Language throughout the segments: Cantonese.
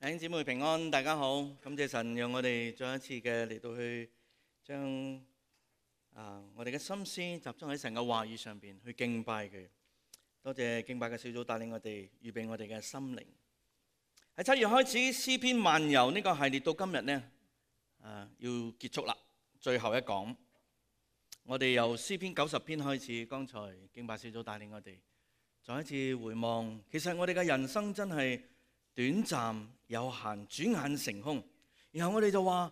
弟兄姊妹平安，大家好。感謝神，讓我哋再一次嘅嚟到去將我哋嘅心思集中喺神嘅話語上邊去敬拜佢。多謝敬拜嘅小組帶領我哋預備我哋嘅心靈。喺7月開始詩篇漫遊呢個系列到今日呢，要結束啦，最後一講。我哋由詩篇90篇開始，剛才敬拜小組帶領我哋再一次回望。其實我哋嘅人生真係短暫有限，轉眼成空。然後我哋就話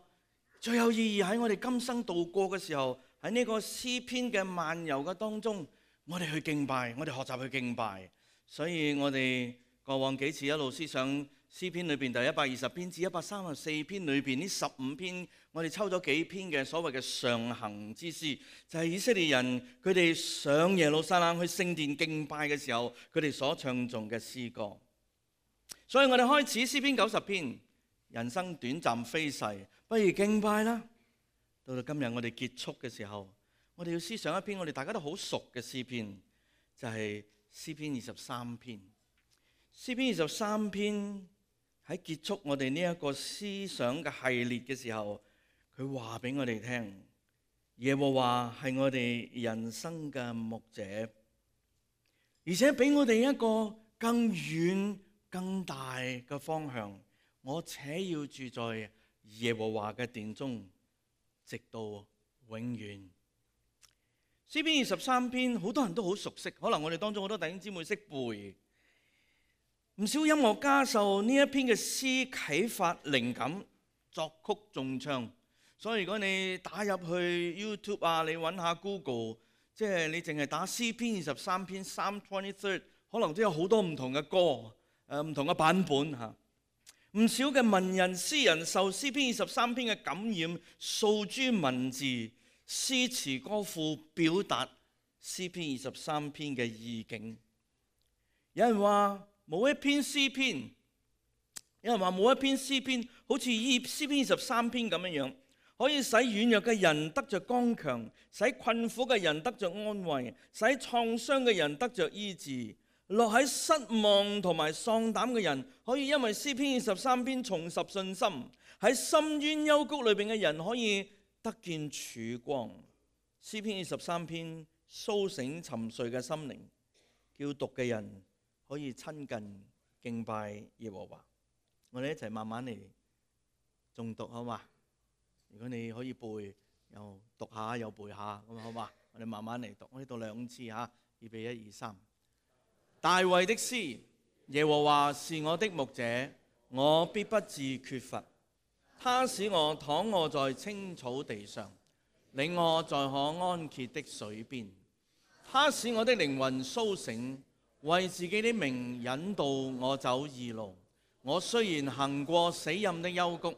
最有意義喺我哋今生度過嘅時候，喺呢個詩篇嘅漫遊嘅當中，我哋去敬拜，我哋學習去敬拜。所以我哋過往幾次一路思想詩篇裏邊第120篇至134篇裏邊呢15篇，我哋抽咗幾篇嘅所謂嘅上行之詩，就係以色列人佢哋上耶路撒冷去聖殿敬拜嘅時候，佢哋所唱頌嘅詩歌。所以我哋開始詩篇90篇，人生短暫飛逝，不如敬拜啦。到今日我哋結束嘅時候，我哋要思想一篇我哋大家都好熟嘅詩篇，就係詩篇23篇。詩篇23篇喺結束我哋呢一個思想嘅系列嘅時候，佢話俾我哋聽，耶和華係我哋人生嘅牧者，而且俾我哋一個更遠更大嘅方向，我且要住在耶和華嘅殿中，直到永遠。詩篇23篇好多人都好熟悉，可能我哋當中好多弟兄姊妹識背。唔少音樂家受呢一篇嘅詩啟發靈感，作曲重唱。所以如果你打入去 YouTube 啊，你揾下 Google， 即係你淨係打詩篇23篇 Psalm 23， 可能都有好多唔同嘅歌。唔同嘅版本嚇，唔少嘅文人詩人受詩篇23篇嘅感染，訴諸文字、詩詞歌賦，表達詩篇23篇嘅意境。有人話冇一篇詩篇，有人話冇一篇詩篇好似詩篇23篇咁樣，可以使軟弱嘅人得着剛強，使困苦嘅人得着安慰，使創傷嘅人得着醫治。落喺失望同埋喪膽嘅人，可以因為詩篇23篇重拾信心；喺深淵幽谷裏邊嘅人，可以得見曙光。詩篇23篇甦醒沉睡嘅心靈，叫讀嘅人可以親近敬拜耶和華。我哋一齊慢慢嚟誦讀好嘛？如果你可以背，又讀下又背下，咁好嘛？我哋慢慢嚟讀，我哋讀2次嚇，預備1、2、3。大衛的詩，耶和華是我的牧者，我必不致缺乏。他使我躺臥在青草地上，領我在可安歇的水邊。他使我的靈魂甦醒，為自己的名引導我走義路。我雖然行過死蔭的幽谷，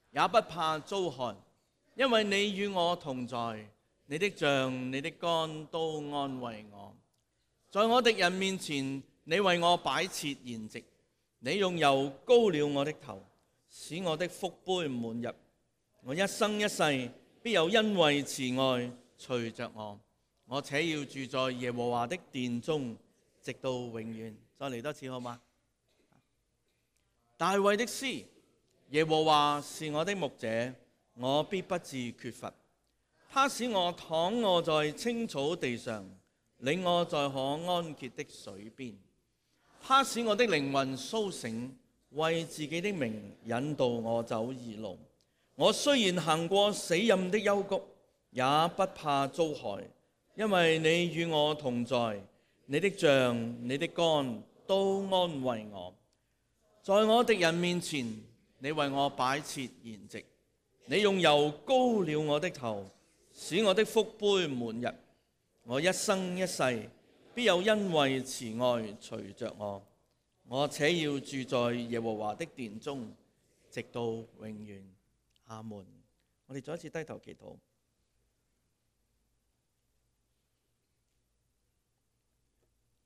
也不怕遭害，因為你與我同在，你的杖、你的竿都安慰我。在我敵人面前，你為我擺設筵席，你用油膏了我的頭，使我的福杯滿溢。我一生一世必有恩惠慈愛隨着我，我且要住在耶和華的殿中，直到永遠。再嚟多次好嗎？大衛的詩，耶和華是我的牧者，我必不致缺乏。他使我躺臥在青草地上，領我在可安歇的水邊。他使我的靈魂甦醒，為自己的名引導我走義路。我雖然行過死蔭的幽谷，也不怕遭害，因為你與我同在，你的杖、你的竿都安慰我。在我敵人面前，你為我擺設筵席，你用油膏了我的頭，使我的福杯滿溢。我一生一世必有恩惠慈愛隨着我，我且要住在耶和華的殿中，直到永遠。阿門。我哋再一次低頭祈禱。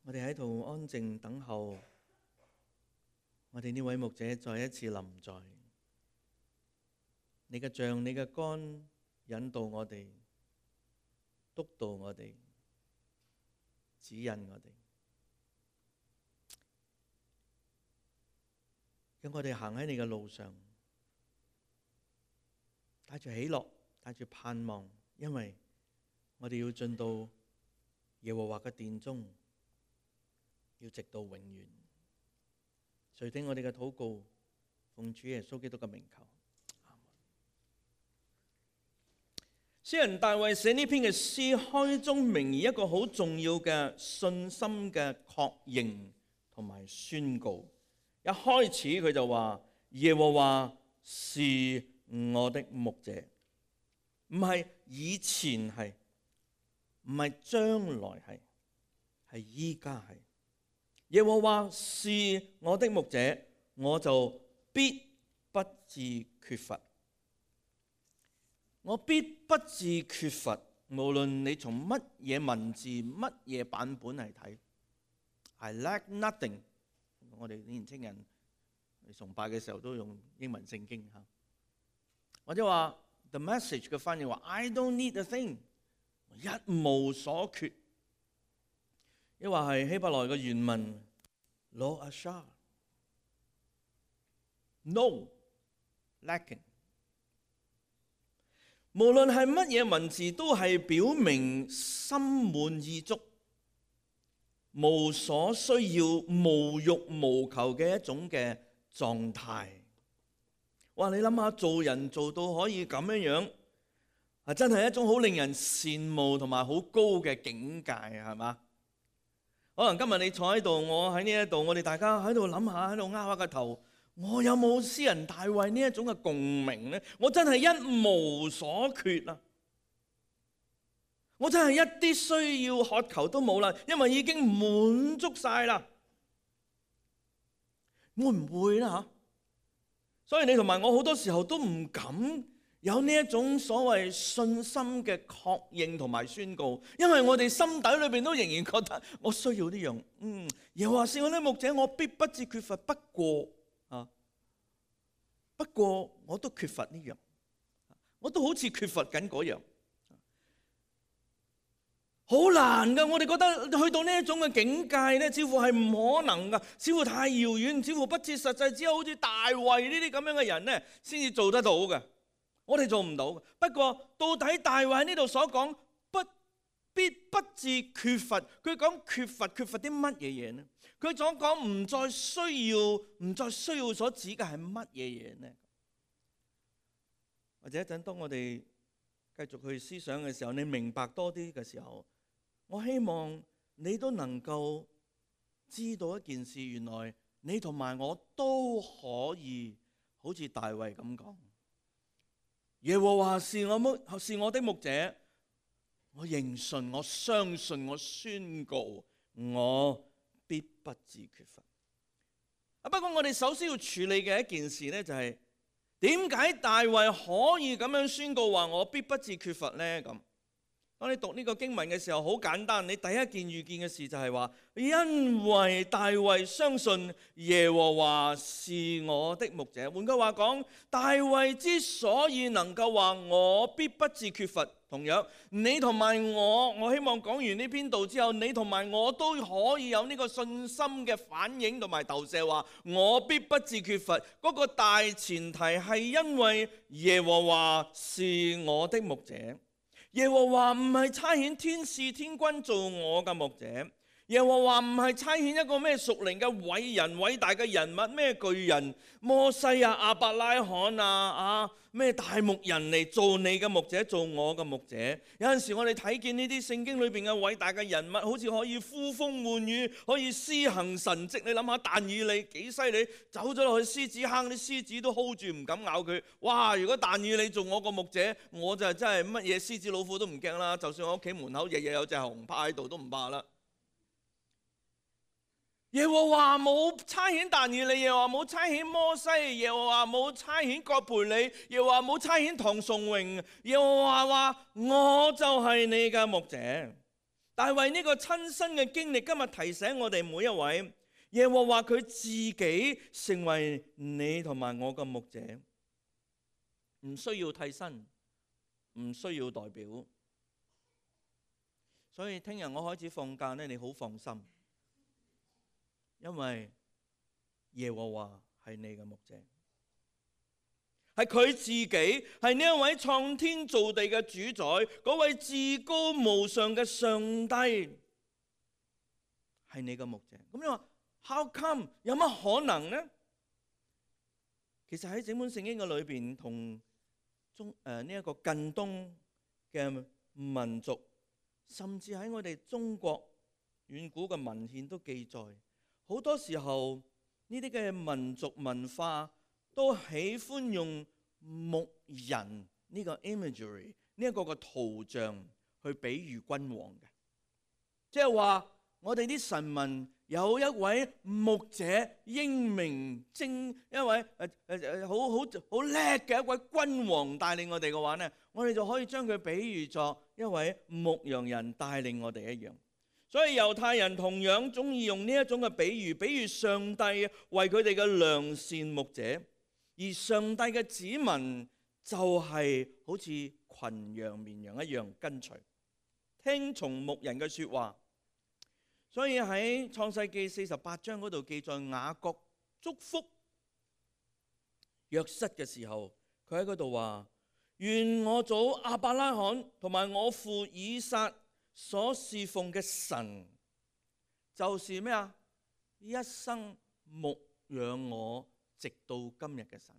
我哋喺度安靜等候，我哋呢位牧者再一次臨在。你嘅杖、你嘅竿引導我哋，督導我哋，指引我哋。讓我哋行喺你嘅路上，帶住喜樂，帶住盼望，因為我哋要進到耶和華嘅殿中，要直到永遠。垂聽我哋嘅禱告，奉主耶穌基督嘅名求。詩人大衛寫呢篇嘅詩，開宗明義一個好重要嘅信心嘅確認同埋宣告。一開始佢就話耶和華是我的牧者，唔係以前係，唔係將來係，係依家係。耶和華是我的牧者，我就必不致缺乏。我必不致缺乏，無論你從乜嘢文字、乜嘢版本嚟睇。I lack nothing。我哋年青人崇拜嘅時候都用英文聖經嚇，或者話 The Message 嘅翻譯話 I don't need a thing， 一無所缺。亦或係希伯來嘅原文 Lo ashar， no lacking。無論係乜嘢文字，都係表明心滿意足、無所需要、無欲無求嘅一種嘅狀態。哇！你諗下，做人做到可以咁樣樣，真係一種好令人羨慕同埋好高嘅境界，係嘛？可能今日你坐喺度，我喺呢一度，我哋大家喺度諗下，喺度拗下個頭。我有冇詩人大衛呢一種嘅共鳴呢？我真係一無所缺啊！我真係一啲需要渴求都冇啦，因為已經滿足晒啦。會唔會啦？所以你同埋我好多時候都唔敢有呢一種所謂信心嘅確認同埋宣告，因為我哋心底裏邊都仍然覺得我需要呢樣。耶和華是我的牧者，我必不致缺乏。不過我都缺乏呢樣，我都好似缺乏緊嗰樣，好難噶。我哋覺得去到呢一種嘅境界咧，似乎係唔可能噶，似乎太遙遠，似乎不切實際，只有好似大衛呢啲咁樣嘅人咧，先至做得到嘅。我哋做唔到。不過到底大衛喺呢度所講必不致缺乏，佢講缺乏啲乜嘢嘢呢？佢所講唔再需要所指嘅係乜嘢嘢呢？或者一陣當我哋繼續去思想嘅時候，你明白多啲嘅時候，我希望你都能夠知道一件事，原來你同埋我都可以好似大衛咁講，耶和華是我的牧者，我認信，我相信，我宣告，我必不致缺乏。不過我哋首先要處理嘅一件事呢，就係點解大衛可以咁樣宣告話我必不致缺乏呢？咁當你讀呢個經文嘅時候，好簡單，你第一件預見嘅事就係話，因為大衛相信耶和華是我的牧者。換句話講，大衛之所以能夠話我必不致缺乏，同樣你同埋我希望講完呢篇道之後，你同埋我都可以有呢個信心嘅反應同埋投射，話我必不致缺乏。嗰個大前提係因為耶和華是我的牧者。耶和華唔係差遣天使天軍做我嘅牧者，耶和華唔係差遣一個咩屬靈嘅偉人偉大嘅人物，咩巨人摩西啊、亞伯拉罕啊、咩大牧人嚟做你嘅牧者，做我嘅牧者。有陣時我哋睇見呢啲聖經裏邊嘅偉大嘅人物，好似可以呼風喚雨，可以施行神蹟。你諗下但以理幾犀利，走咗落去獅子坑，啲獅子都 hold 住唔敢咬佢。哇！如果但以理做我個牧者，我就真係乜嘢獅子老虎都唔驚啦。就算我屋企門口日日有隻熊趴喺度都唔怕啦。耶和華冇差遣但以理，耶和華冇差遣摩西，耶和華冇差遣葛培理，耶和華冇差遣唐崇榮，耶和華話我就係你嘅牧者。大衛呢個親身嘅經歷，今日提醒我哋每一位，耶和華佢自己成為你同埋我嘅牧者，唔需要替身，唔需要代表。所以聽日我開始放假呢，你好放心。因為耶和華係你嘅牧者，係佢自己，係呢一位創天造地嘅主宰，嗰位至高無上嘅上帝，係你嘅牧者。咁你話 how come 有乜可能呢？其實喺整本聖經嘅裏邊，同呢一個近東嘅民族，甚至喺我哋中國遠古嘅文獻都記載，好多時候呢啲嘅民族文化都喜歡用牧人呢個 imagery 呢一個嘅圖像去比喻君王嘅，即係話我哋啲臣民有一位牧者英明精，一位好叻嘅一位君王帶領我哋嘅話呢，我哋就可以將佢比喻作一位牧羊人帶領我哋一樣。所以猶太人同樣中意用呢一種嘅比喻上帝為佢哋嘅良善牧者，而上帝嘅子民就係好似群羊綿羊一樣跟隨，聽從牧人嘅說話。所以喺創世記48章嗰度記載雅各祝福約瑟嘅時候，佢喺嗰度話：願我祖亞伯拉罕同埋我父以撒所侍奉嘅神，就是咩啊？一生牧養我直到今日嘅神，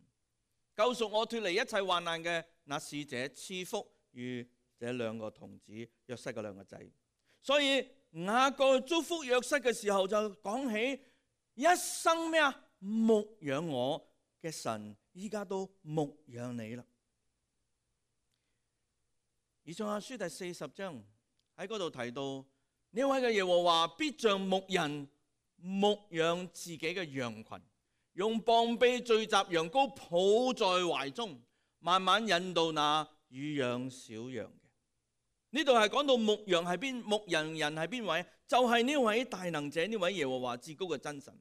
救贖我脫離一切患難嘅那使者，賜福與這兩個童子約瑟嘅兩個仔。所以雅各祝福約瑟嘅時候就講起一生咩啊？牧養我嘅神，依家都牧養你啦。以賽亞書第40章喺嗰度提到，呢位嘅耶和華必像牧人牧養自己嘅羊群，用膀臂聚集羊羔，抱在懷中，慢慢引導那乳養小羊。呢度係講到牧羊係邊，牧羊人係邊位？就係呢位大能者，呢位耶和華至高嘅真神。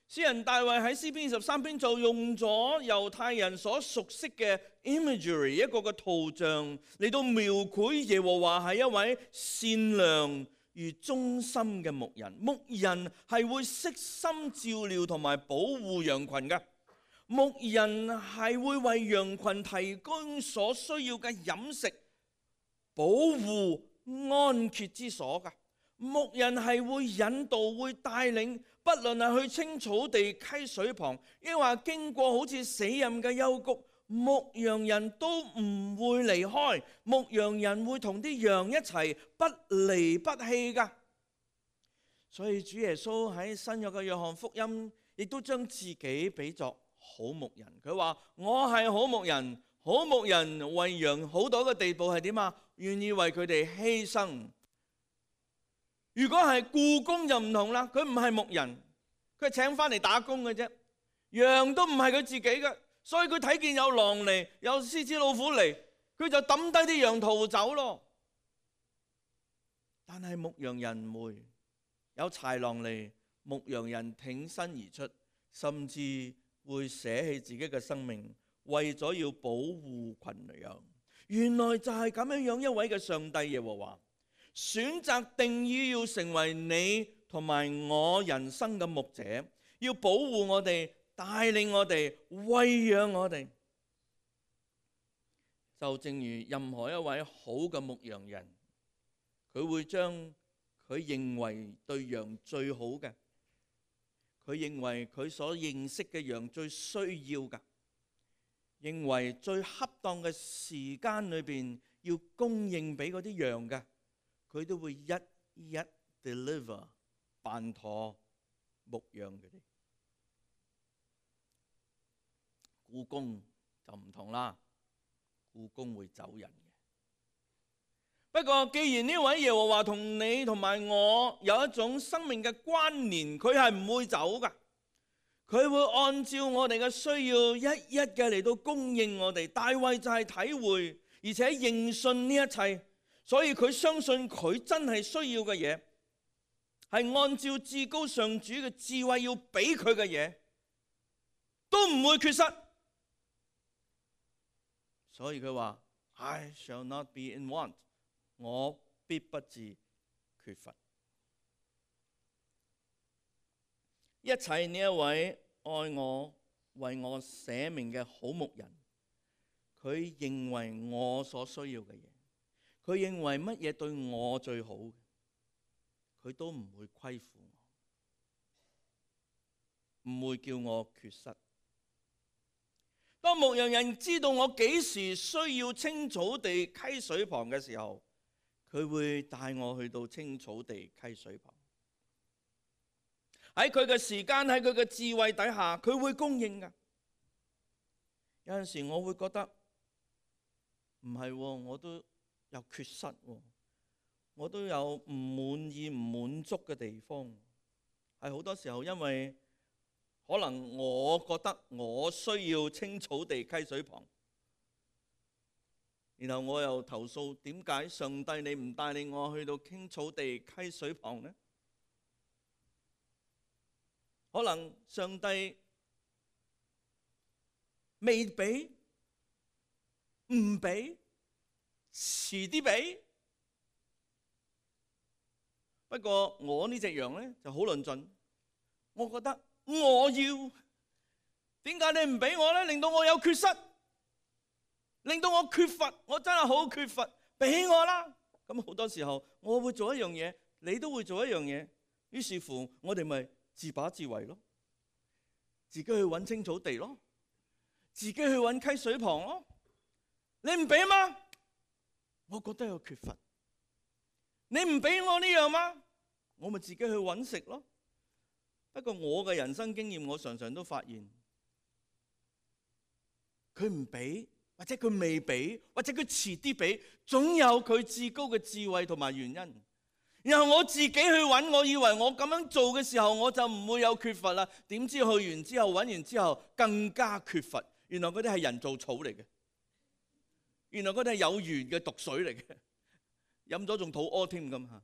詩人大衛喺詩篇23篇就用咗猶太人所熟悉嘅 imagery 一個嘅圖像嚟到描繪耶和華係一位善良而忠心嘅牧人。牧人係會悉心照料同埋保護羊群嘅，牧人係會為羊群提供所需要嘅飲食、保護、安歇之所㗎。牧人係會引導、會帶領，不論係去青草地、溪水旁，抑或經過好似死蔭嘅幽谷，牧羊人都唔會離開。牧羊人會同啲羊一齊，不離不棄㗎。所以主耶穌喺新約嘅約翰福音，亦都將自己比作好牧人。佢話：我係好牧人，好牧人為羊好到一個地步係點啊？願意為佢哋犧牲。如果係僱工就唔同啦，佢唔係牧人，佢係請翻嚟打工嘅啫。羊都唔係佢自己嘅，所以佢睇見有狼嚟，有獅子老虎嚟，佢就抌低啲羊逃走咯。但係牧羊人唔會，有豺狼嚟，牧羊人挺身而出，甚至會捨棄自己嘅生命，為咗要保護群羊。原來就係咁樣一位嘅上帝耶和華，選擇定義要成為你同埋我人生嘅牧者，要保護我哋，帶領我哋，餵養我哋。就正如任何一位好嘅牧羊人，佢會將佢認為對羊最好嘅，佢認為佢所認識嘅羊最需要嘅，認為最恰當嘅時間裏邊要供應俾嗰啲羊嘅，佢都會一一 deliver 辦妥牧養佢哋。僱工就唔同啦，僱工會走人嘅。不過既然呢位耶和華同你同埋我有一種生命嘅關聯，佢係唔會走噶，佢會按照我哋嘅需要一一嘅嚟到供應我哋。大衛就係體會而且認信呢一切，所以佢相信佢真係需要嘅嘢，係按照至高上主嘅智慧要俾佢嘅嘢，都唔會缺失。所以佢話 I shall not be in want， 我必不致缺乏。一切呢一位愛我、為我捨命嘅好牧人，佢認為我所需要嘅嘢，佢認為乜嘢對我最好嘅，佢都唔會虧負我，唔會叫我缺失。當牧羊人知道我幾時需要青草地溪水旁嘅時候，佢會帶我去到青草地溪水旁。喺佢嘅時間，喺佢嘅智慧底下，佢會供應㗎。有陣時我會覺得唔係，我都有缺失，我都有唔滿意、唔滿足嘅地方。係好多時候因為可能我覺得我需要青草地溪水旁，然後我又投訴，點解上帝你唔帶領我去到青草地溪水旁呢？可能上帝未俾、唔俾、遲啲俾。不過我呢隻羊呢就好論盡，我覺得我要，點解你唔俾我呢？令到我有缺失，令到我缺乏，我真係好缺乏，俾我啦。咁好多時候我會做一樣嘢，你都會做一樣嘢，於是乎我哋咪自把自為咯，自己去揾青草地咯，自己去揾溪水旁咯。你唔俾嗎？我覺得有缺乏。你唔俾我呢樣嗎？我咪自己去揾食咯。不過我嘅人生經驗，我常常都發現，佢唔俾，或者佢未俾，或者佢遲啲俾，總有佢至高嘅智慧同埋原因。然後我自己去揾，我以為我咁樣做嘅時候，我就唔會有缺乏啦。點知去完之後，揾完之後更加缺乏。原來嗰啲係人造草嚟嘅，原來嗰啲係有緣嘅毒水嚟嘅，飲咗仲肚屙添咁嚇。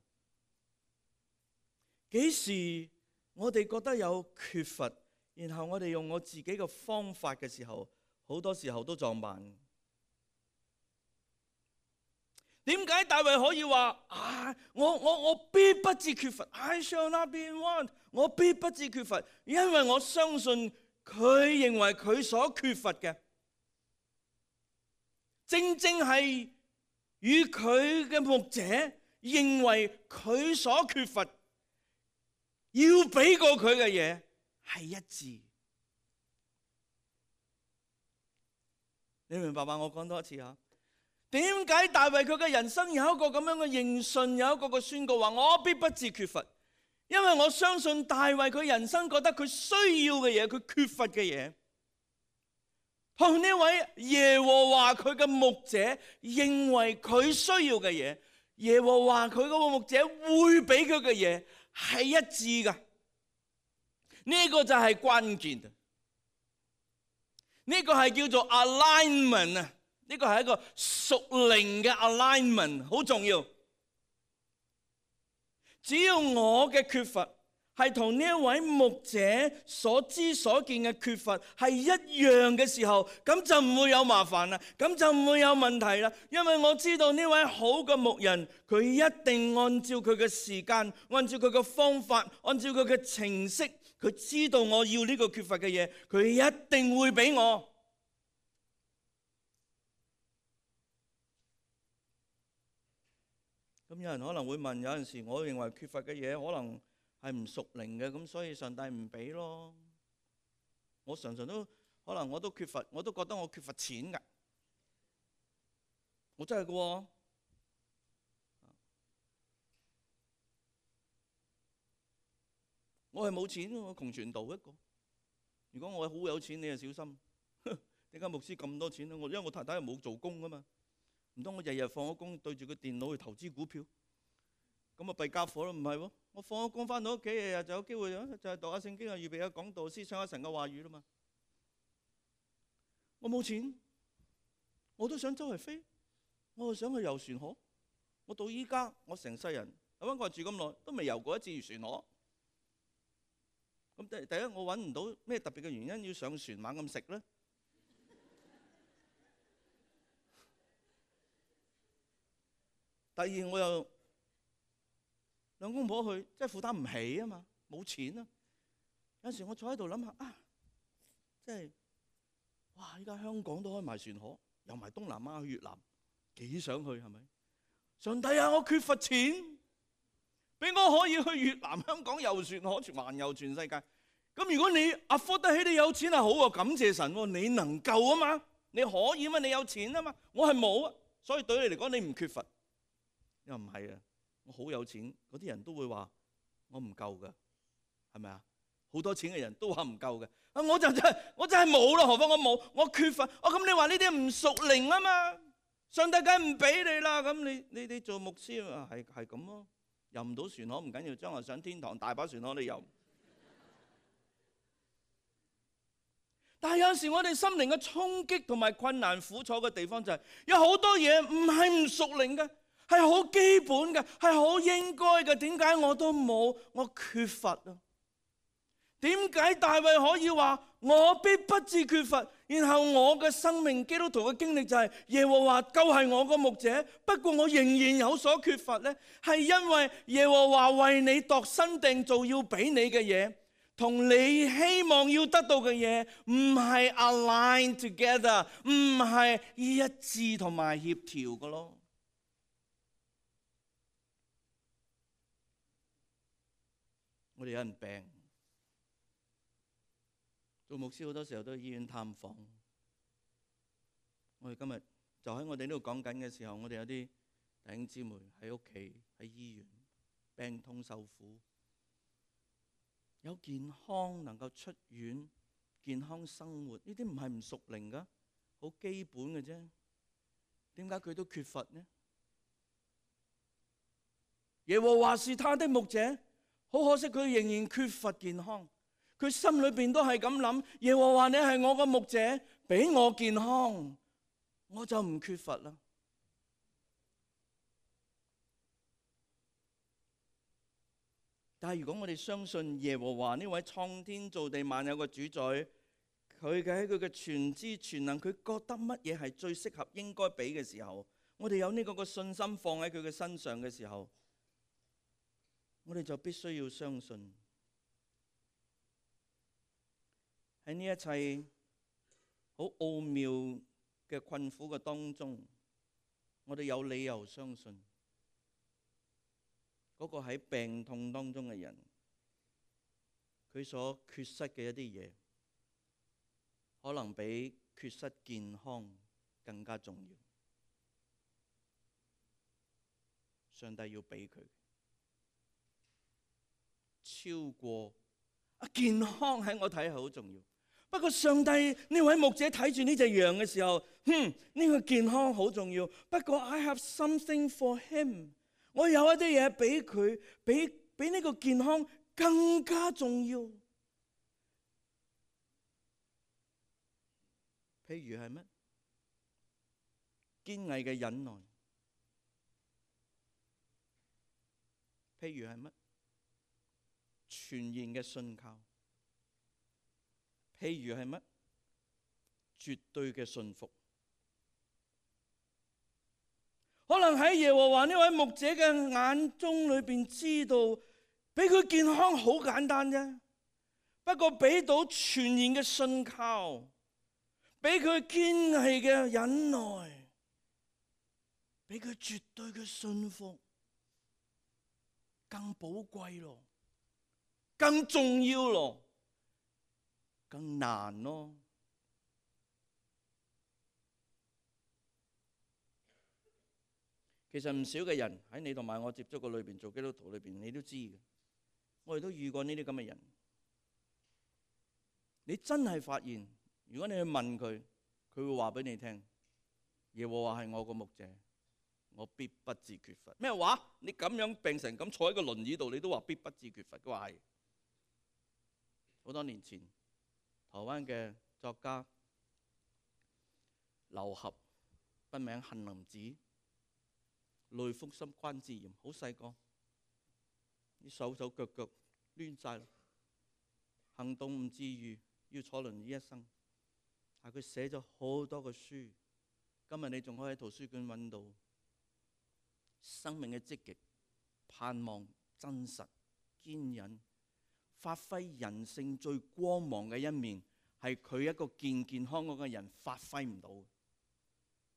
幾時我哋覺得有缺乏，然後我哋用我自己嘅方法嘅時候，好多時候都撞板。點解大衛可以話我必不至缺乏 ？I shall not be in want， 我必不至缺乏，因為我相信佢認為佢所缺乏嘅，正正係與佢嘅牧者認為佢所缺乏，要俾過佢嘅嘢係一致。你明白嗎？我講多一次嚇。點解大衛佢嘅人生有一個咁樣嘅認信，有一個嘅宣告話我必不至缺乏？因為我相信大衛佢人生覺得佢需要嘅嘢，佢缺乏嘅嘢，同呢位耶和華佢嘅牧者認為佢需要嘅嘢，耶和華佢嗰個牧者會俾佢嘅嘢係一致噶。呢個就係關鍵，呢個係叫做 alignment 啊。呢個係一個屬靈嘅 alignment， 好重要。只要我嘅缺乏係同呢一位牧者所知所見嘅缺乏係一樣嘅時候，咁就唔會有麻煩啦，咁就唔會有問題啦。因為我知道呢位好嘅牧人，佢一定按照佢嘅時間，按照佢嘅方法，按照佢嘅程式，佢知道我要呢個缺乏嘅嘢，佢一定會俾我。咁有人可能會問，有陣時我認為缺乏嘅嘢可能係唔屬靈嘅，咁所以上帝唔俾咯。我常常都可能我都缺乏，我都覺得我缺乏錢㗎。我真係㗎喎，我係冇錢，我窮傳道一個。如果我係好有錢，你就小心。點解牧師咁多錢咧？因為我太太係冇做工㗎嘛。唔通我日日放咗工對住個電腦去投資股票，咁啊弊傢伙咯？唔係喎，我放咗工翻到屋企，日日就有機會就係讀下聖經啊，預備下講道，思想下神嘅話語啦嘛。我冇錢，我都想周圍飛，我又想去遊船河。我到依家我成世人喺溫哥華住咁耐，都未遊過一次漁船河。咁第一我揾唔到咩特別嘅原因要上船猛咁食咧。第二我又兩公婆去，即係負擔唔起啊嘛，冇錢啊。有時我坐喺度諗下啊，即係哇！依家香港都開埋船河，又埋東南亞去越南，幾想去係咪？上帝啊，我缺乏錢，俾我可以去越南、香港遊船河，環遊全世界。咁如果你afford得起，你有錢係好喎，感謝神喎，你能夠啊嘛，你可以嘛，你有錢啊嘛，我係冇啊，所以對你嚟講你唔缺乏。又唔係啊，我好有錢，嗰啲人都會話我唔夠㗎，係咪啊？好多錢嘅人都話唔夠嘅，啊我就真係冇咯，何況我冇，我缺乏。咁你話呢啲唔屬靈啊嘛，上帝梗係唔俾你啦。咁你做牧師啊，係咁咯，遊唔到船河唔緊要，將來上天堂大把船河你遊。但係有陣時我哋心靈嘅衝擊同埋困難苦楚嘅地方就係有好多嘢唔係唔屬靈嘅，係好基本嘅，係好應該嘅。點解我都冇？我缺乏啊！點解大衛可以話我必不至缺乏？然後我嘅生命基督徒嘅經歷就係耶和華救係我個牧者，不過我仍然有所缺乏呢，係因為耶和華為你度身訂造要俾你嘅嘢，同你希望要得到嘅嘢唔係 align together， 唔係一致同埋協調嘅咯。我哋有人病，做牧師好多時候都去醫院探訪。我哋今日就喺我哋呢度講緊嘅時候，我哋有啲弟兄姊妹喺屋企、喺醫院病痛受苦，有健康能夠出院、健康生活，呢啲唔係唔屬靈噶，好基本嘅啫。點解佢都缺乏呢？耶和華是他的牧者，好可惜佢仍然缺乏健康。佢心裏邊都係咁諗：耶和華你係我個牧者，俾我健康，我就唔缺乏啦。但係如果我哋相信耶和華呢位創天造地萬有嘅主宰，佢喺佢嘅全知全能，佢覺得乜嘢係最適合應該俾嘅時候，我哋有呢個信心放喺佢嘅身上嘅時候，我哋就必須要相信喺呢一切好奧妙嘅困苦嘅當中，我哋有理由相信嗰個喺病痛當中嘅人，佢所缺失嘅一啲嘢，可能比缺失健康更加重要。上帝要俾佢超過健康，喺我睇係好重要。不過上帝呢位牧者睇住呢隻羊嘅時候，呢個健康好重要。不過 I have something for him， 我有一啲嘢俾佢，比呢個健康更加重要。譬如係乜？堅毅嘅忍耐。譬如係乜？全然嘅信靠。譬如係乜？絕對嘅信服。可能喺耶和華呢位牧者嘅眼中裏邊知道，俾佢健康好簡單啫。不過俾到全然嘅信靠，俾佢堅毅嘅忍耐，俾佢絕對嘅信服，更寶貴咯，更重要咯，更難咯。其實唔少嘅人喺你同埋我接觸嘅裏邊，做基督徒裏邊，你都知嘅。我哋都遇過呢啲咁嘅人。你真係發現，如果你去問佢，佢會話俾你聽：耶和華係我個牧者，我必不致缺乏。咩話？你咁樣病成咁坐喺個輪椅度，你都話必不致缺乏？佢話係。好多年前，台灣嘅作家劉俠，筆名杏林子，類風濕關節炎，好細個，啲手腳腳攣晒，行動唔自如，要坐輪椅一生。但佢寫咗好多個書，今日你仲可以喺圖書館揾到。生命嘅積極、盼望、真實、堅忍，發揮人性最光芒嘅一面，係佢一個健康嗰個人發揮唔到。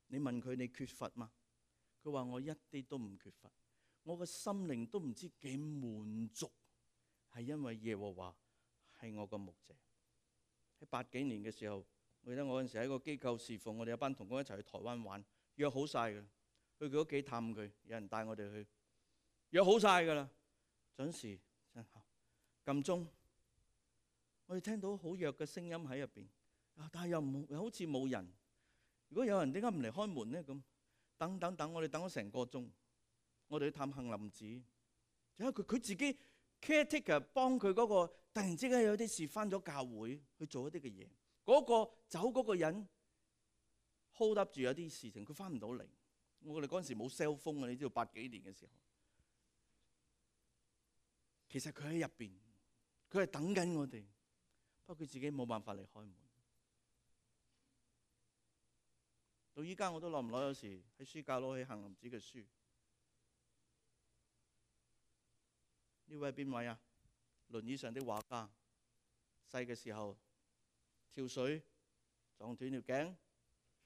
你問佢你缺乏嗎？佢話我一啲都唔缺乏，我個心靈都唔知幾滿足，係因為耶和華係我個牧者。喺80幾年嘅時候，我記得我嗰陣時喺個機構侍奉，我哋有班同工一齊去台灣玩，約好晒㗎，去佢屋企探佢，有人帶我哋去，約好晒㗎啦，準時撳鐘。我哋聽到好弱嘅聲音喺入邊，但係又好似冇人。如果有人點解唔嚟開門呢？咁等，我哋等咗成個鐘。我哋去探杏林子，因為佢自己 caretaker 幫佢嗰個，突然之間有啲事翻咗教會去做一啲嘅嘢。嗰個走嗰個人 hold up 住有啲事情，佢翻唔到嚟。我哋嗰陣時冇 cell phone 啊，你知道80幾年嘅時候，其實佢喺入邊，佢係等緊我哋，不過佢自己冇辦法嚟開門。到依家我都耐唔耐有時喺書架攞起杏林子嘅書。呢位係邊位啊？輪椅上的畫家，細嘅時候跳水撞斷條頸，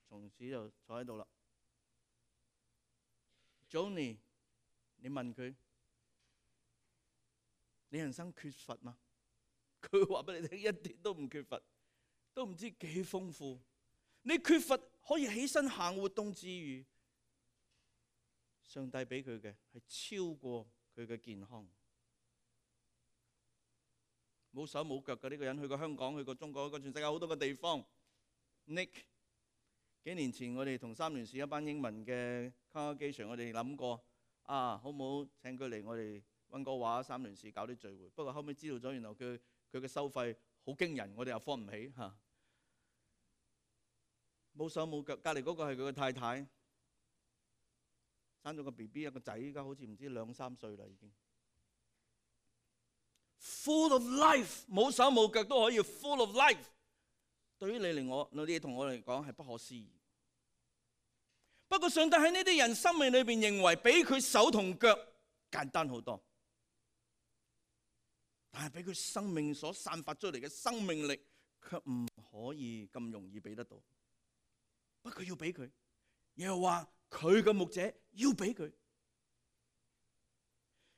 從此就坐喺度啦。Johnny， 你問佢，你人生缺乏嗎？佢話俾你聽，一啲都唔缺乏，都唔知幾豐富。你缺乏可以起身行活動之餘，上帝俾佢嘅係超過佢嘅健康。冇手冇腳嘅呢個人，去過香港，去過中國，去過全世界好多個地方。Nick， 幾年前我哋同三聯市一班英文嘅 congregation，我哋諗過好唔好請佢嚟我哋溫哥華三聯市搞啲聚會。不過後尾知道咗，原來佢嘅收費好驚人，我哋又付唔起嚇。冇手冇腳，隔離嗰個係佢嘅太太，生咗個 BB 一個仔，依家好似唔知2、3歲啦已經。Full of life， 冇手冇腳都可以 full of life。對於你嚟我，你同我嚟講係不可思議。不過上帝喺呢啲人生命裏邊認為，比佢手同腳簡單好多，但係比佢生命所散發出嚟嘅生命力，卻唔可以咁容易俾得到。不過要俾佢，又話佢嘅牧者要俾佢。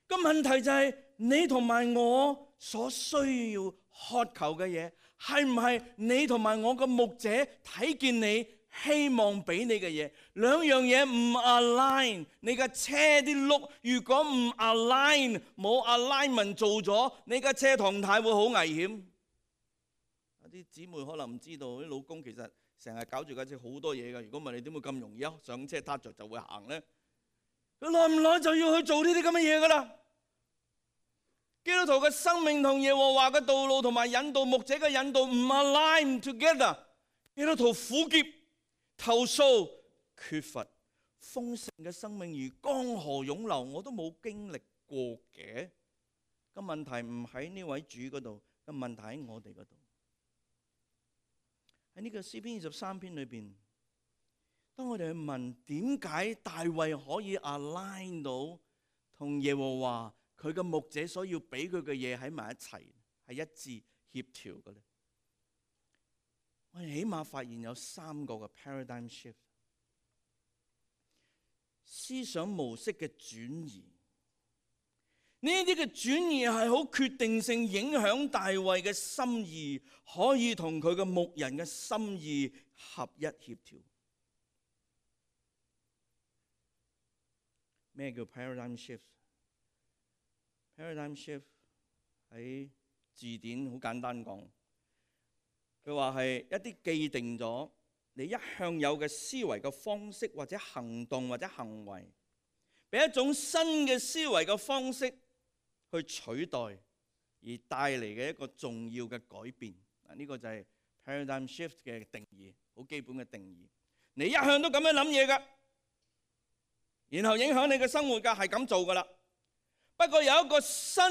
個問題就係你同埋我所需要渴求嘅嘢，係唔係你同埋我嘅牧者睇見你希望俾你嘅嘢？兩樣嘢唔 align， 你架車啲轆如果唔 align， 冇 alignment 做咗，你架車狀態會好危險。有啲姊妹可能唔知道，啲老公其實成日搞住架車好多嘢㗎。如果唔係，你點會咁容易上車撻着就會行呢？佢耐唔耐就要去做呢啲咁嘅嘢㗎啦。基督徒嘅生命同耶和華嘅道路同埋引導牧者嘅引導唔 align together。基督徒苦澀、投訴、缺乏豐盛嘅生命如江河湧流，我都冇經歷過嘅。個問題唔喺呢位主嗰度，個問題喺我哋嗰度。喺呢個詩篇23篇裏邊，當我哋去問點解大衛可以 align 到同耶和華佢嘅牧者所要俾佢嘅嘢喺埋一齊，係一致協調嘅咧？我哋起碼發現有3個嘅 paradigm shift， 思想模式嘅轉移。呢啲嘅轉移係好決定性影響大衛嘅心意，可以同佢嘅牧人嘅心意合一協調。咩叫 paradigm shift？Paradigm shift 喺字典好簡單講，佢話係一啲既定咗你一向有嘅思維嘅方式或者行動或者行為，俾一種新嘅思維嘅方式去取代而帶嚟嘅一個重要嘅改變。呢個就係 paradigm shift 嘅定義，好基本嘅定義。你一向都咁樣諗嘢㗎，然後影響你嘅生活㗎，係咁做㗎啦。不過有一個新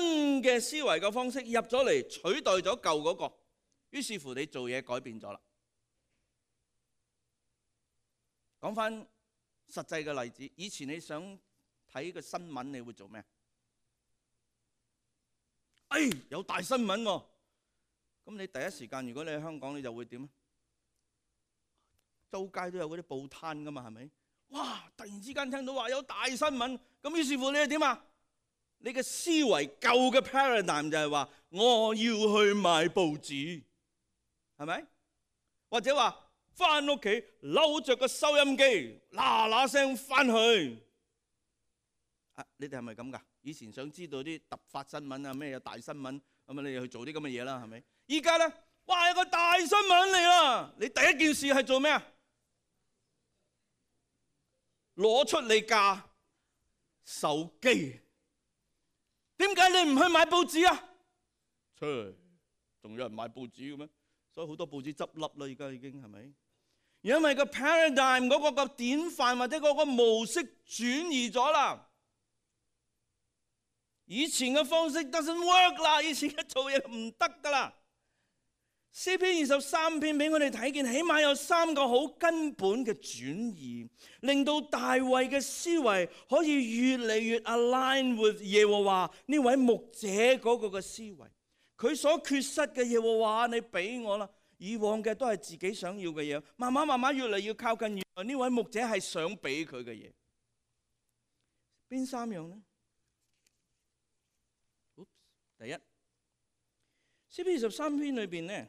嘅思維嘅方式入咗嚟，取代咗舊嗰個，於是乎你做嘢改變咗啦。講翻實際嘅例子，以前你想睇個新聞，你會做咩？有大新聞喎，咁你第一時間如果你喺香港，你就會點啊？周街都有嗰啲報攤噶嘛，係咪？哇！突然之間聽到話有大新聞，咁於是乎你係點啊？你嘅思維舊嘅 paradigm 就係話我要去買報紙，係咪？或者話翻屋企扭着個收音機，嗱嗱聲翻去。你哋係咪咁噶？以前想知道啲突發新聞啊，咩有大新聞，咁啊你去做啲咁嘅嘢啦，係咪？依家咧，哇有個大新聞嚟啦！你第一件事係做咩啊？攞出你架手機。點解你唔去買報紙啊？仲有人買報紙嘅咩？所以好多報紙執笠啦，而家已經係咪？因為個 paradigm 嗰個典範或者嗰個模式轉移咗啦。以前嘅方式 doesn't work 啦，以前嘅做嘢唔得噶啦。詩篇23篇俾我哋睇見，起碼有3個好根本嘅轉移，令到大衛嘅思維可以越嚟越 align with 耶和華呢位牧者嗰個嘅思維。佢所缺失嘅耶和華，你俾我啦。以往嘅都係自己想要嘅嘢，慢慢越嚟越靠近原來呢位牧者係想俾佢嘅嘢。邊3樣呢？第一，詩篇23篇裏邊呢，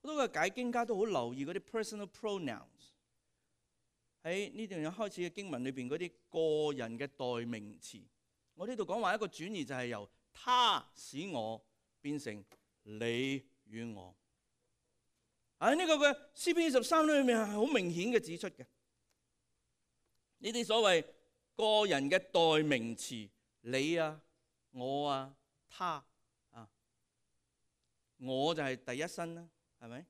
好多嘅解經家都好留意嗰啲 personal pronouns。喺呢段開始嘅經文裏邊嗰啲個人嘅代名詞。我呢度講話一個轉移就係由他使我變成你與我。喺呢個嘅詩篇23裏面係好明顯嘅指出嘅。呢啲所謂個人嘅代名詞，你啊、我啊、他啊，我就係第一身啦，係咪？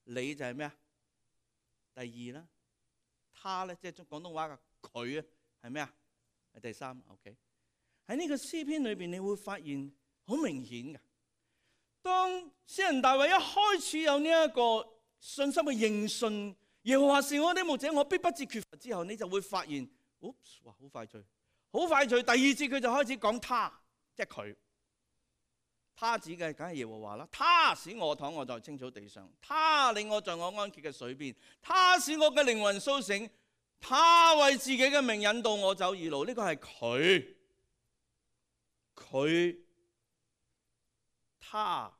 你就係咩啊？第二啦。他咧，即係廣東話嘅佢啊，係咩啊？係第3。OK。喺呢個詩篇裏邊，你會發現好明顯嘅。當詩人大衛一開始有呢一個信心嘅認信，耶和華是我的牧者，我必不致缺乏之後，你就會發現，哇，好快脆，好快脆。第2節佢就開始講他，即係佢。他指嘅梗係耶和華啦。他使我躺臥在青草地上，他領我在我安歇嘅水邊，他使我嘅靈魂甦醒，他為自己嘅名引導我走義路。呢個係佢，他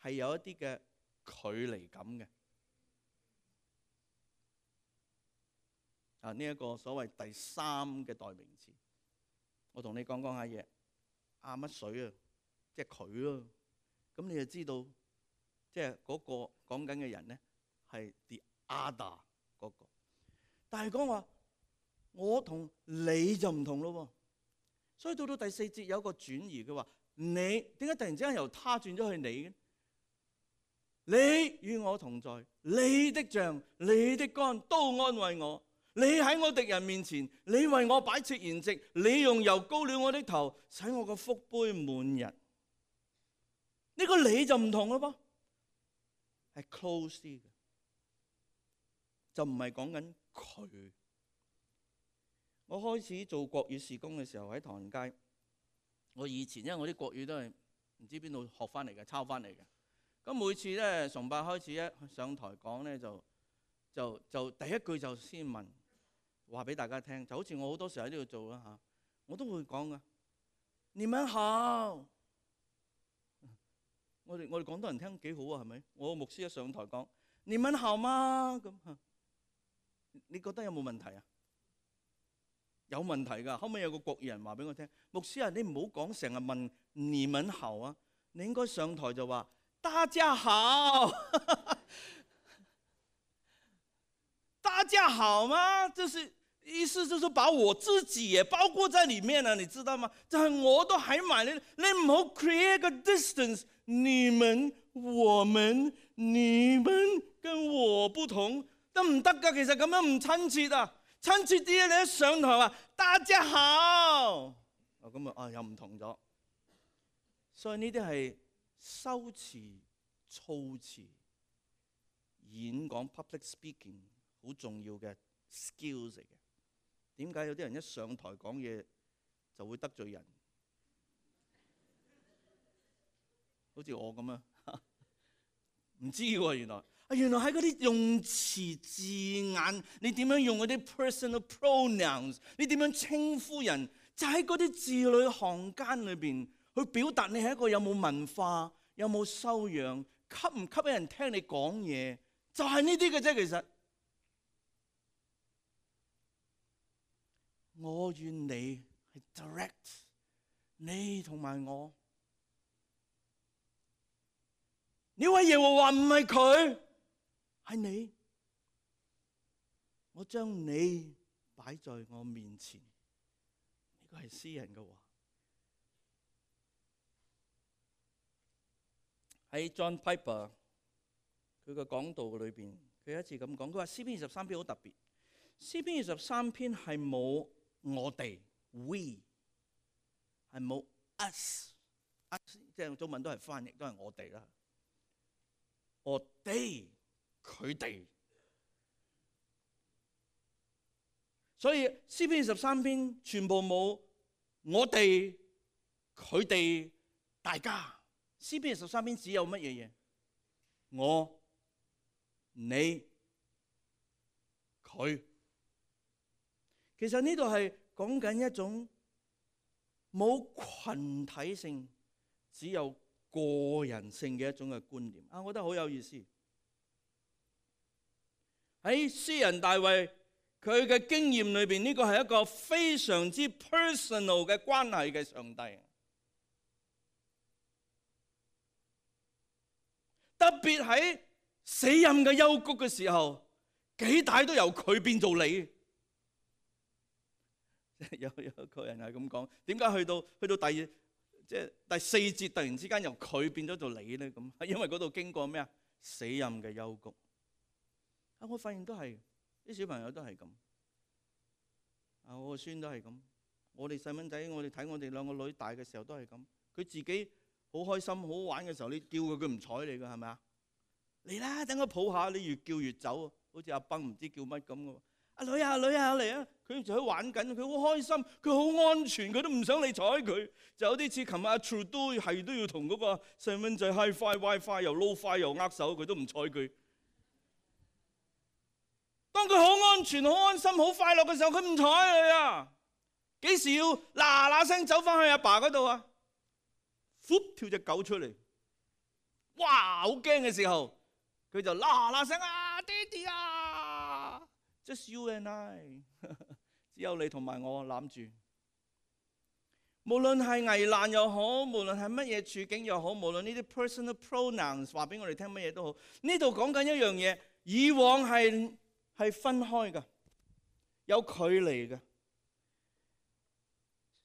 係有一啲嘅距離感嘅。呢一個所謂第3嘅代名詞，我同你講下嘢。乜水啊？即係佢咯。咁你就知道，即係嗰個講緊嘅人咧係 the other 嗰個。但係講話我同你就唔同咯。所以到第4節有一個轉移，佢話你點解突然之間由他轉咗去你嘅？你與我同在，你的杖、你的竿都安慰我。你喺我敵人面前，你為我擺設筵席，你用油膏了我的頭，使我個福杯滿溢。呢個你就唔同咯噃，係 close 啲嘅，就唔係講緊佢。我開始做國語事工嘅時候喺唐人街，我以前因為我啲國語都係唔知邊度學翻嚟嘅，抄翻嚟嘅。咁每次咧崇拜開始一上台講咧，就第一句就先問，話俾大家聽，就好似我好多時候喺呢度做啦嚇，我都會講噶。你們好，我哋廣東人聽幾好啊，係咪？我牧師一上台講，你們好嗎？咁你覺得有冇問題啊？有問題㗎。後尾有個國語人話俾我聽，牧師啊，你唔好講成日問你們好啊，你應該上台就話大家好。大家好嗎？就是意思就是把我自己也包括在裡面啊，你知道嗎？就係我都喺埋你唔好 create 個 distance， 你們、我們、你們跟我不同，得唔得㗎？其實咁樣唔親切啊，親切啲你一上台話大家好，咁又唔同咗。所以呢啲係修辭、措辭、演講 public speaking 好重要嘅 skills 嚟嘅。點解有啲人一上台講嘢就會得罪人？好似我咁啊，唔知喎，原來喺嗰啲用詞字眼，你點樣用嗰啲 personal pronouns， 你點樣稱呼人，就喺嗰啲字裏行間裏邊去表達你係一個有冇文化、有冇修養、吸唔吸引人聽你講嘢，就係呢啲嘅啫。其實我願你係 direct， 你同埋我。呢位耶和華唔係佢，係你。我將你擺在我面前，呢個係詩人嘅話。喺 John Piper 佢嘅講道裏邊，佢有一次咁講，佢話詩篇23篇好特別。詩篇23篇係冇我哋 we， 係冇 us， 即係中文都係翻譯，都係我哋啦。我哋佢哋，所以詩篇23篇全部冇我哋佢哋大家。詩篇23篇只有乜嘢嘢？我、你、佢。其實呢度係講緊一種冇群體性，只有個人性嘅一種嘅觀念。我覺得好有意思。喺詩人大衛佢嘅經驗裏邊，呢個係一個非常之 personal 嘅關係嘅上帝。特別喺死蔭嘅幽谷嘅時候，幾大都由佢變做你。有一個人係咁講，點解去到第四節突然之間由佢變咗做你咧？咁係因為嗰度經過咩啊？死蔭嘅幽谷。我發現都係啲小朋友都係咁。我個孫都係咁。我哋細蚊仔，我哋睇我哋兩個女大嘅時候都係咁。佢自己好開心好玩嘅時候，你叫佢唔睬你㗎，係咪啊？嚟啦，等我抱下，你越叫越走，好似阿崩唔知叫乜咁嘅。阿女啊嚟啊！佢就喺玩緊，佢好開心，佢好安全，佢都唔想你睬佢。就有啲似琴日阿 Trudeau 係都要同嗰個細蚊仔 Hi-Fi WiFi 又 Low-Fi 又握手，佢都唔睬佢。當佢好安全、好安心、好快樂嘅時候，佢唔睬你啊！幾時要嗱聲走翻去阿爸嗰度啊？跳隻狗出嚟，哇！好驚嘅時候，佢就嗱聲啊，爹哋啊 ！Just you and I， 只有你同埋我攬住。無論係危難又好，無論係乜嘢處境又好，無論呢啲 personal pronouns 話俾我哋聽乜嘢都好，呢度講緊一樣嘢，以往係分開嘅，有距離嘅。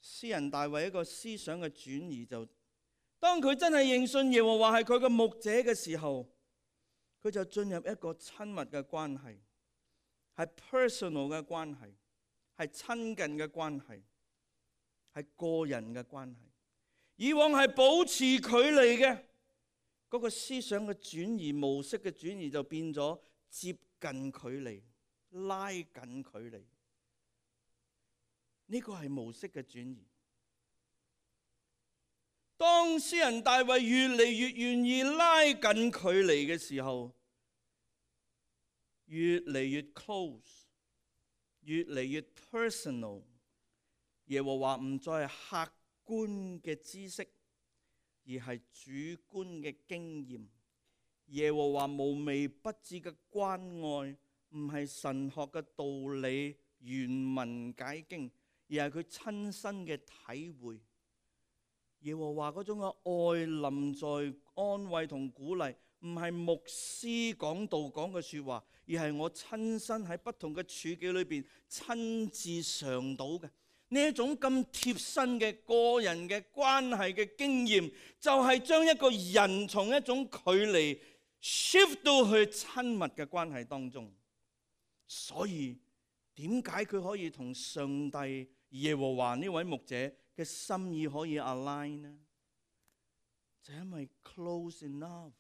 詩人大衛一個思想嘅轉移，就當佢真係認信耶和華係佢嘅牧者嘅時候，佢就進入一個親密嘅關係，係 personal 嘅關係，係親近嘅關係，係個人嘅關係。以往係保持距離嘅嗰個思想嘅轉移，模式嘅轉移就變咗接近距離，拉近距離。呢個係模式嘅轉移。當詩人大衛越嚟越願意拉近距離嘅時候，越嚟越 close， 越嚟越 personal。耶和華唔再係客觀嘅知識，而係主觀嘅經驗。耶和華無微不至嘅關愛，唔係神學嘅道理原文解經，而係佢親身嘅體會。耶和華嗰種嘅愛臨在安慰同鼓勵，唔係牧師講道講嘅說話，而係我親身喺不同嘅處境裏邊親自嘗到嘅呢一種咁貼身嘅個人嘅關係嘅經驗，就係將一個人從一種距離 shift 到去親密嘅關係當中。所以點解佢可以同上帝耶和華呢位牧者嘅心意可以 align 呢？就因為 close enough。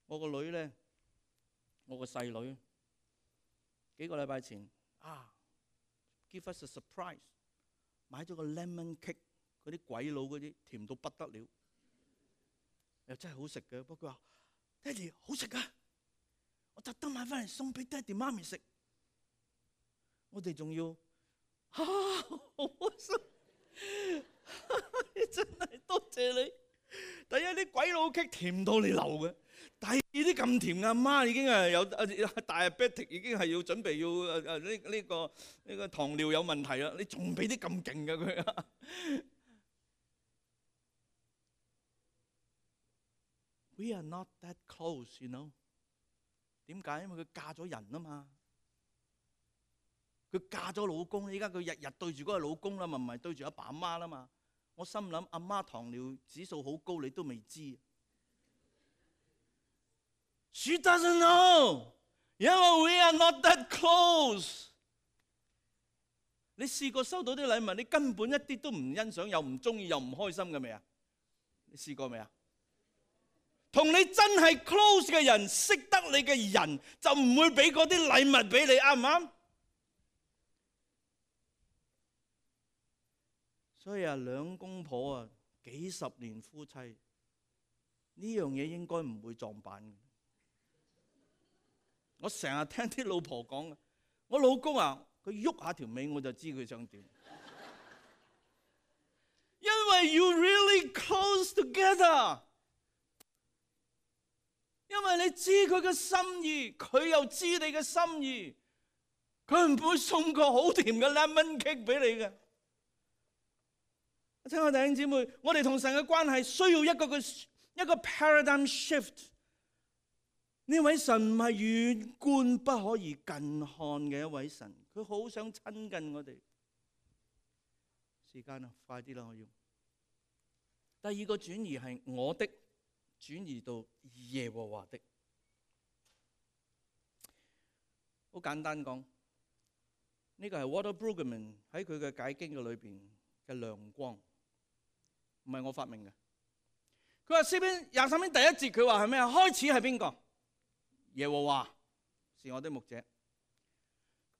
我個女咧，我個細女幾個禮拜前give us a surprise， 買咗個 lemon cake 嗰啲鬼佬嗰啲甜到不得了，又真係好食嘅。不過佢話：爹哋好食㗎，我特登買翻嚟送俾爹哋媽咪食。我哋仲要好開心，真係多謝你。第一啲鬼佬棘甜到你流嘅，第二啲咁甜嘅，阿媽已經係有大 diabetic， 已經係要準備要呢個糖尿有問題啦。你仲俾啲咁勁嘅佢啊？We are not that close, you know？ 點解？因為佢嫁咗人啊嘛。佢嫁咗老公，依家佢日日對住嗰個老公啦，咪唔係對住阿爸阿媽啦嘛。我心諗阿媽糖尿指數好高，你都未知。She doesn't know， 因為 we are not that close。你試過收到啲禮物，你根本一啲都唔欣賞，又唔中意，又唔開心嘅未啊？你試過未啊？同你真係 close 嘅人，識得你嘅人，就唔會俾嗰啲禮物俾你，啱唔啱？所以啊，兩公婆啊，幾十年夫妻，呢樣嘢應該唔會撞板嘅。我成日聽啲老婆講，我老公啊，佢喐下條尾我就知佢想點。因為 you really close together， 因為你知佢嘅心意，佢又知你嘅心意，佢唔會送個好甜嘅 lemon cake 俾你嘅。親愛弟兄姊妹，我哋同神嘅關係需要一個 paradigm shift。呢位神唔係遠觀不可以近看嘅一位神，佢好想親近我哋。時間啊，快啲啦！我要第二個轉移係我的，轉移到耶和華的。好簡單講，呢個係 Walter Brueggemann 喺佢嘅解經嘅裏邊嘅亮光。唔係我發明嘅。佢話詩篇23篇第1節，佢話係咩啊？開始係邊個？耶和華是我的牧者。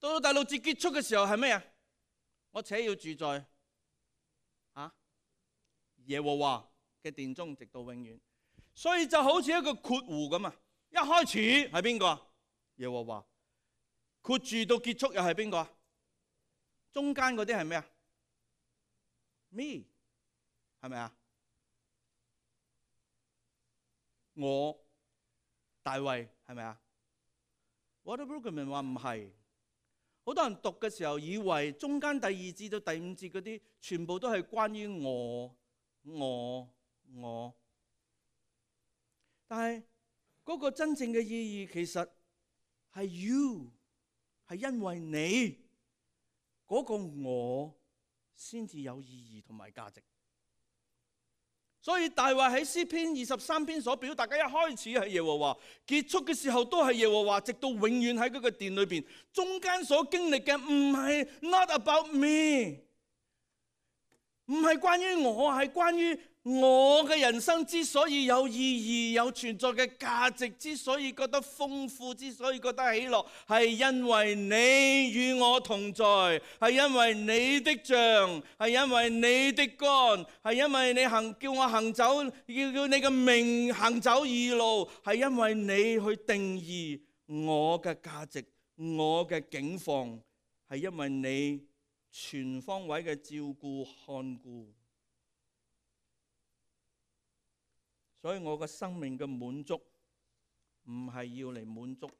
到第6節結束嘅時候係咩啊？我且要住在耶和華嘅殿中，直到永遠。所以就好似一個括弧咁啊！一開始係邊個？耶和華。括住到結束又係邊個？中間嗰啲係咩啊 ？Me。係咪啊？我大衛係咪啊？Walter Brueggemann話唔係，好多人讀嘅時候以為中間第2節到第5節嗰啲全部都係關於我，但係嗰個真正嘅意義其實係 you， 係因為你嗰個我先至有意義同埋價值。所以大衛喺詩篇23篇所表達嘅一開始係耶和華，結束嘅時候都係耶和華，直到永遠喺嗰個殿裏邊。中間所經歷嘅唔係 not about me， 唔係關於我，係關於我嘅人生之所以有意義、有存在嘅價值，之所以覺得豐富，之所以覺得喜樂，係因為你與我同在，係因為你的杖，係因為你的竿，係因為你叫我行走，叫你嘅名行走義路，係因為你去定義我嘅價值、我嘅境況，係因為你全方位嘅照顧看顧。所以我嘅生命嘅滿足唔係要嚟滿足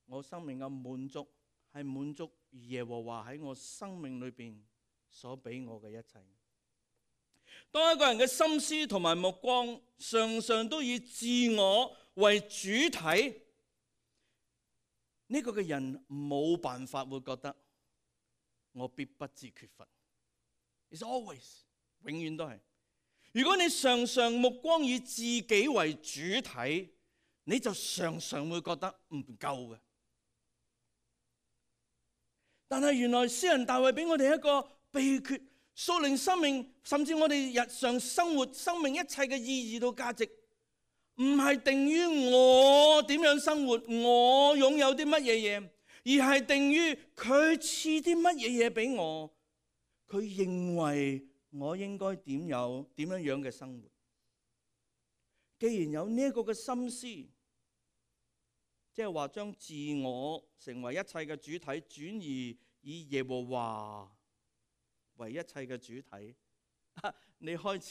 我生命嘅滿足係滿足耶和華喺我生命裏邊所俾我嘅一切。當一個人嘅心思同埋目光常常都以自我為主體，呢個嘅人冇辦法會覺得我必不致缺乏。It's always 永遠都係。如果你常常目光以自己為主體，你就常常會覺得唔夠嘅。但係原來詩人大衛俾我哋一個秘訣，屬靈生命甚至我哋日常生活生命一切嘅意義到價值，唔係定於我點樣生活，我擁有啲乜嘢嘢，而係定於佢賜啲乜嘢嘢俾我。佢認為我應該點樣嘅生活。既然有呢一個嘅心思，即係話將自我成為一切嘅主體，轉移以耶和華為一切嘅主體，你開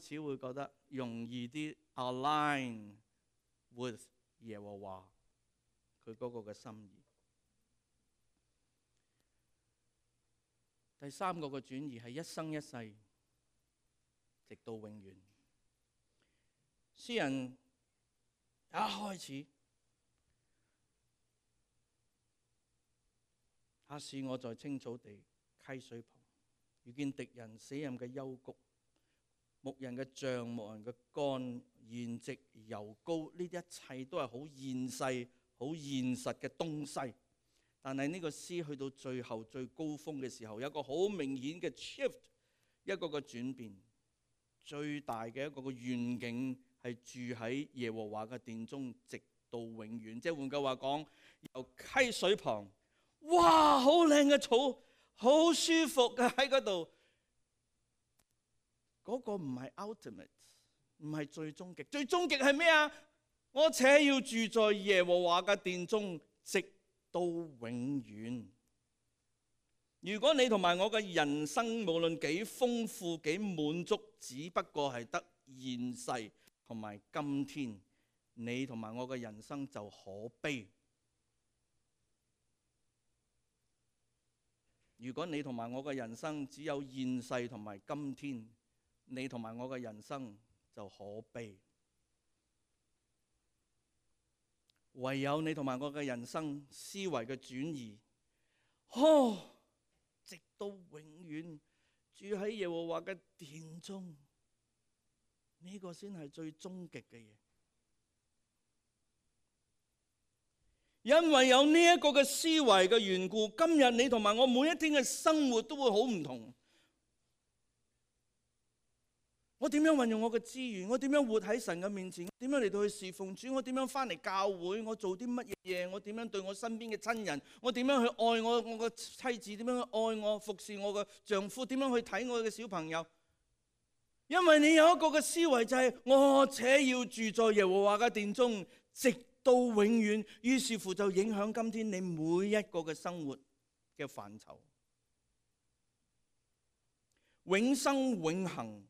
始會覺得容易啲 align with 耶和華佢嗰個嘅心意。第三個嘅轉移係一生一世，直到永遠。詩人一開始，他使我在青草地溪水旁，遇見敵人死蔭嘅幽谷，牧人嘅杖、牧人嘅竿、筵席、油膏，呢啲一切都係好現世、好現實嘅東西。但係呢個詩去到最後最高峰嘅時候，有一個好明顯嘅 shift， 一個嘅轉變。最大嘅一個嘅願景係住喺耶和華嘅殿中，直到永遠。即係換句話講，由溪水旁，哇，好靚嘅草，好舒服嘅喺嗰度。嗰個唔係 ultimate， 唔係最終極。最終極係咩啊？我且要住在耶和華嘅殿中，直到永遠。如果你同埋我嘅人生無論幾豐富幾滿足，只不過係得現世同埋今天，你同埋我嘅人生就可悲。如果你同埋我嘅人生只有現世同埋今天，你同埋我嘅人生就可悲。唯有你同埋我嘅人生思維嘅轉移，直到永遠住喺耶和華嘅殿中，呢個先係最終極嘅嘢。因為有呢一個嘅思維嘅緣故，今日你同埋我每一天嘅生活都會好唔同。我點樣運用我嘅資源？我點樣活喺神嘅面前？點樣嚟到去侍奉主？我點樣翻嚟教會？我做啲乜嘢？我點樣對我身邊嘅親人？我點樣去愛我嘅妻子？點樣去愛我服侍我嘅丈夫？點樣去睇我嘅小朋友？因為你有一個嘅思維就係我且要住在耶和華嘅殿中，直到永遠。於是乎就影響今天你每一個嘅生活嘅範疇，永生永恆。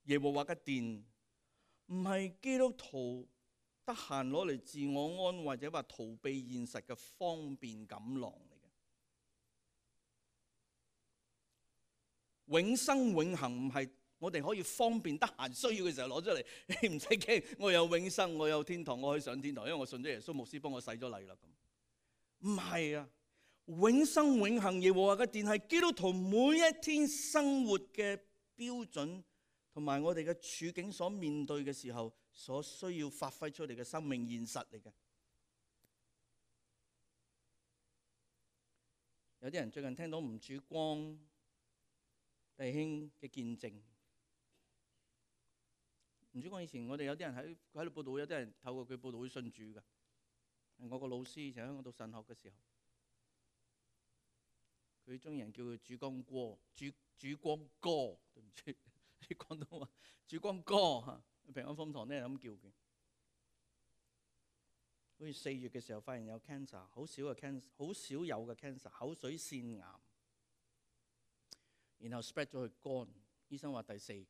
耶和華嘅殿唔係基督徒得閒攞嚟自我安慰或者話逃避現實嘅方便錦囊嚟嘅。永生永恆唔係我哋可以方便得閒需要嘅時候攞出嚟，你唔使驚，我有永生，我有天堂，我可以上天堂，因為我信咗耶穌，牧師幫我洗咗禮啦。咁唔係啊，永生永恆耶和華嘅殿係基督徒每一天生活嘅標準，同埋我哋嘅處境所面對嘅時候，所需要發揮出嚟嘅生命現實嚟嘅。有啲人最近聽到吳主光弟兄嘅見證。吳主光以前我哋有啲人喺度報道，有啲人透過佢報道會信主嘅。係我個老師以前喺香港讀神學嘅時候，佢中意人叫佢主光哥，主光哥，對唔住。啲廣東話，主光哥嚇，平安風堂咧咁叫佢。好似4月嘅時候發現有 cancer， 好少嘅 cancer， 好少有嘅 cancer， 口水腺癌，然後 spread 咗去肝，醫生話第4期。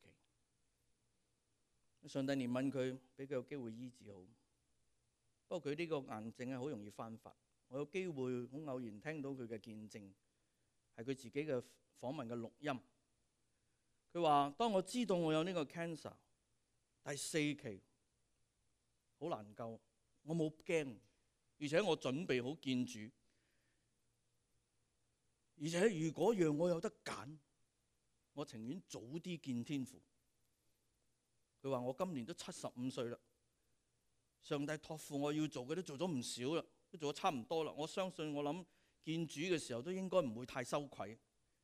上帝憐憫佢，俾佢有機會醫治好。不過佢呢個癌症係好容易翻發。我有機會好偶然聽到佢嘅見證，係佢自己嘅訪問嘅錄音。佢話：當我知道我有呢個 cancer， 第4期好難救，我冇驚，而且我準備好見主。而且如果讓我有得揀，我情願早啲見天父。佢話：我今年都75歲啦，上帝託付我要做嘅都做咗唔少啦，都做咗差唔多啦。我相信我諗見主嘅時候都應該唔會太羞愧。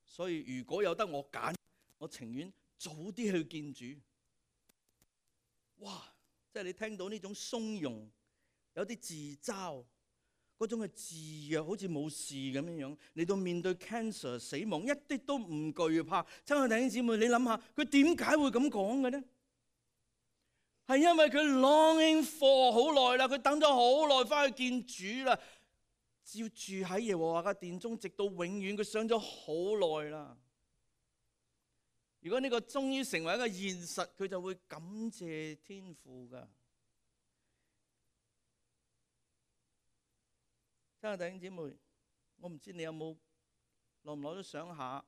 所以如果有得我揀，我情願早啲去見主。哇！即係你聽到呢種鬆容，有啲自嘲，嗰種嘅自若，好似冇事咁樣樣嚟到面對 cancer 死亡，一啲都唔懼怕。親愛弟兄姊妹，你諗下佢點解會咁講嘅呢？係因為佢 longing for 好耐啦，佢等咗好耐翻去見主啦，要住喺耶和華嘅殿中，直到永遠。佢想咗好耐啦。如果呢個終於成為一個現實，佢就會感謝天父噶。親愛弟兄姊妹，我唔知你有冇耐唔耐都想下，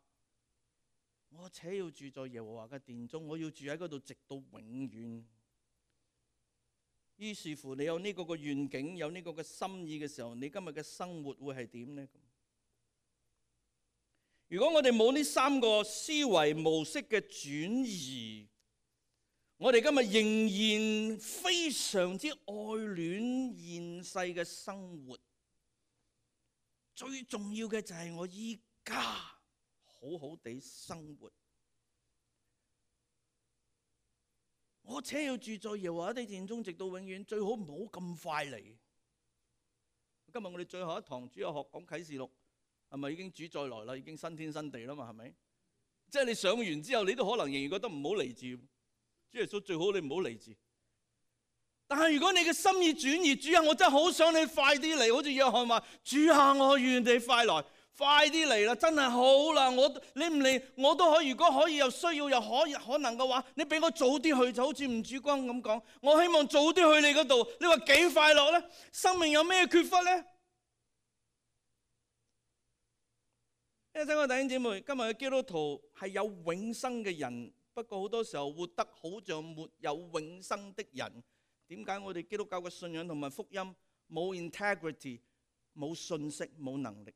我且要住在耶和華嘅殿中，我要住喺嗰度直到永遠。於是乎，你有呢個嘅願景，有呢個嘅心意嘅時候，你今日嘅生活會係點呢？如果我哋冇呢三個思維模式嘅轉移，我哋今日仍然非常之愛戀現世嘅生活。最重要嘅就係我依家好好地生活。我且要住在耶和華的殿中，直到永遠。最好唔好咁快嚟。今日我哋最後一堂主日學講啟示錄，係咪已經主再來啦？已經新天新地啦嘛？係咪？即係你上完之後，你都可能仍然覺得唔好嚟住。主耶穌最好你唔好嚟住。但係如果你嘅心意轉移，主啊，我真係好想你快啲嚟。好似約翰話：主啊，我願你快來。快啲嚟啦！真係好啦，你唔嚟我都可以。如果可以有需要又可能嘅話，你俾我早啲去，就好似吳主光咁講。我希望早啲去你嗰度。你話幾快樂呢？生命有咩缺乏呢？因為親愛弟兄姊妹，今日嘅基督徒係有永生嘅人，不過好多時候活得好像沒有永生的人。點解我哋基督教嘅信仰同埋福音冇 integrity、冇信息、冇能力？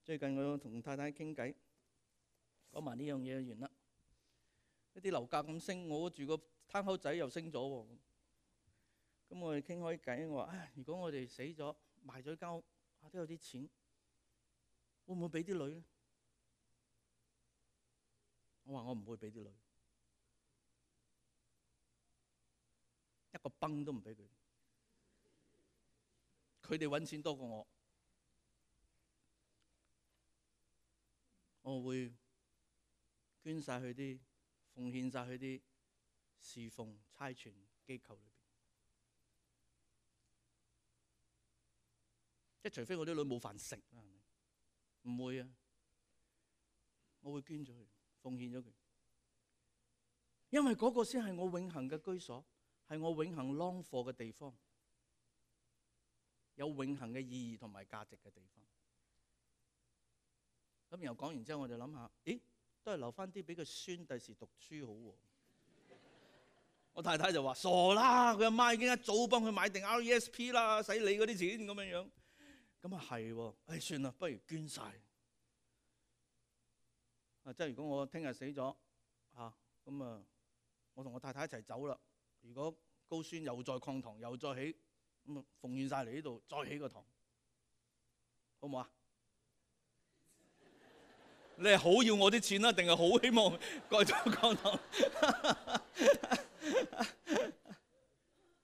最近我同太太傾偈，講埋呢樣嘢就完啦。一啲樓價咁升，我住個攤口仔又升咗喎。咁我哋傾開偈，我話：如果我哋死咗，賣咗間屋，都有啲錢，會唔會俾啲女呢？我話我唔會俾啲女，一個崩都唔俾佢。佢哋揾錢多過我。我會捐晒去啲，奉獻晒去啲侍奉差傳機構裏邊。即係除非我啲女冇飯食啦，唔會啊！我會捐咗佢，奉獻咗佢，因為嗰個先係我永恆嘅居所，係我永恆 long for 嘅地方，有永恆嘅意義同埋價值嘅地方。咁然後講完之後，我就諗下，咦，都係留翻啲俾個孫第時讀書好喎。我太太就話：傻啦，佢阿媽已經一早幫佢買定 RESP 啦，使你嗰啲錢咁樣樣。咁啊係喎，算啦，不如捐晒。即係如果我聽日死咗咁我同我太太一齊走啦。如果高孫又再擴堂，又再起，咁奉獻晒嚟呢度，再起個堂，好唔好啊？你係好要我啲錢啦，定係好希望蓋咗講堂？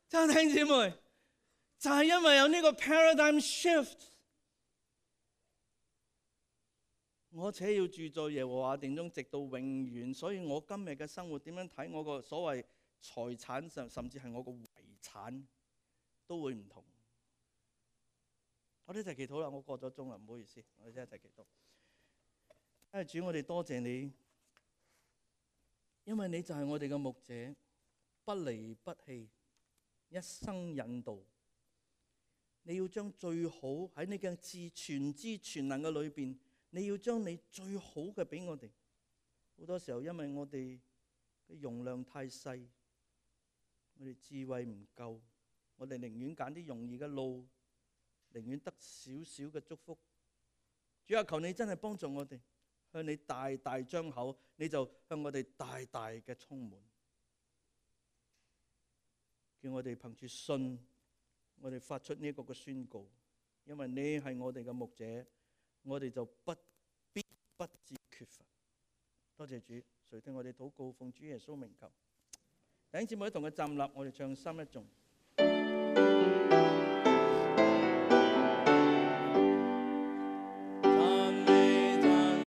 真係弟兄姊妹，就係因為有呢個 paradigm shift，我且要住在耶和華殿中，直到永遠。所以我今日嘅生活點樣睇我個所謂財產，甚至係我個遺產，都會唔同。我哋一齊祈禱啦，我過咗鐘啦，唔好意思，我哋一齊祈禱。主，我哋多謝你，因為你就係我哋嘅牧者，不離不棄，一生引導。你要將最好喺你嘅全知全能嘅裏邊，你要將你最好嘅俾我哋。好多時候因為我哋嘅容量太細，我哋智慧唔夠，我哋寧願揀啲容易嘅路，寧願得少少嘅祝福。主啊，求你真係幫助我哋，向你大大張口，你就向我哋大大嘅充滿，叫我哋憑住信，我哋發出呢一個嘅宣告，因為你係我哋嘅牧者，我哋就必不致缺乏。多謝主，垂聽我哋禱告，奉主耶穌名求。弟兄姊妹一同嘅站立，我哋唱三一頌。